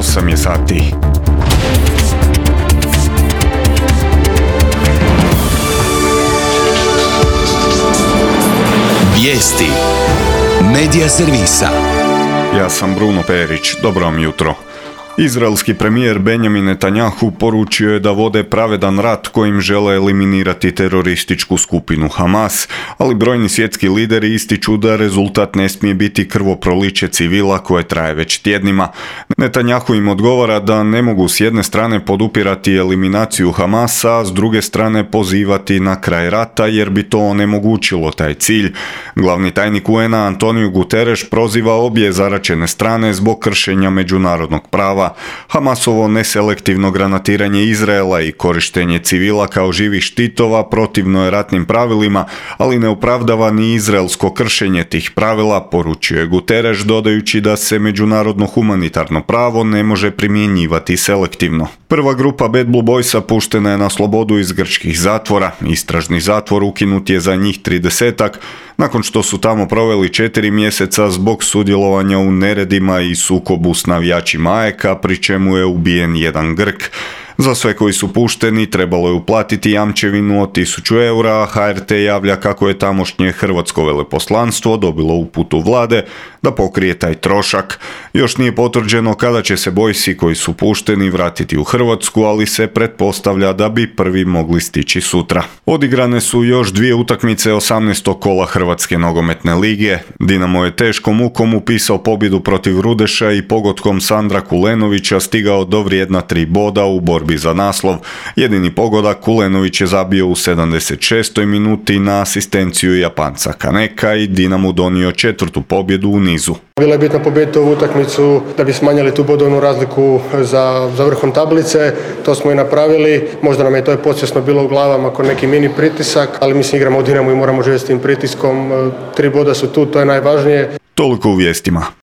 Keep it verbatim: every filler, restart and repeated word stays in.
osam je sati. Vijesti Medija servisa. Ja sam Bruno Perić, dobro vam jutro. Izraelski premijer Benjamin Netanjahu poručio je da vode pravedan rat kojim žele eliminirati terorističku skupinu Hamas, ali brojni svjetski lideri ističu da rezultat ne smije biti krvoproliće civila koje traje već tjednima. Netanjahu im odgovara da ne mogu s jedne strane podupirati eliminaciju Hamasa, a s druge strane pozivati na kraj rata jer bi to onemogućilo taj cilj. Glavni tajnik U N-a Antonio Guterres proziva obje zaraćene strane zbog kršenja međunarodnog prava. Hamasovo neselektivno granatiranje Izraela i korištenje civila kao živih štitova protivno je ratnim pravilima, ali ne opravdava ni izraelsko kršenje tih pravila, poručio je Guterres, dodajući da se međunarodno humanitarno pravo ne može primjenjivati selektivno. Prva grupa Bad Blue Boysa puštena je na slobodu iz grčkih zatvora. Istražni zatvor ukinut je za njih tridesetak, nakon što su tamo proveli četiri mjeseca zbog sudjelovanja u neredima i sukobu s navijačima A E K-a, pri čemu je ubijen jedan Grk. Za sve koji su pušteni trebalo je uplatiti jamčevinu od tisuću eura, a H R T javlja kako je tamošnje hrvatsko veleposlanstvo dobilo uputu vlade da pokrije taj trošak. Još nije potvrđeno kada će se Boysi koji su pušteni vratiti u Hrvatsku, ali se pretpostavlja da bi prvi mogli stići sutra. Odigrane su još dvije utakmice osamnaestog kola Hrvatske nogometne lige. Dinamo je teškom mukom upisao pobjedu protiv Rudeša i pogodkom Sandra Kulenovića stigao do vrijedna tri boda u borbi za naslov. Jedini pogodak Kulenović je zabio u sedamdeset šestoj minuti na asistenciju Japanca Kaneka i Dinamo donio četvrtu pobjedu u nizu. Bila je bitna pobijediti ovu utakmicu da bi smanjili tu bodovnu razliku za, za vrhom tablice. To smo i napravili. Možda nam je to podsvjesno bilo u glavama kao neki mini pritisak, ali mislim igramo u Dinamu i moramo živjeti s tim pritiskom. Tri boda su tu, to je najvažnije. Toliko u vijestima.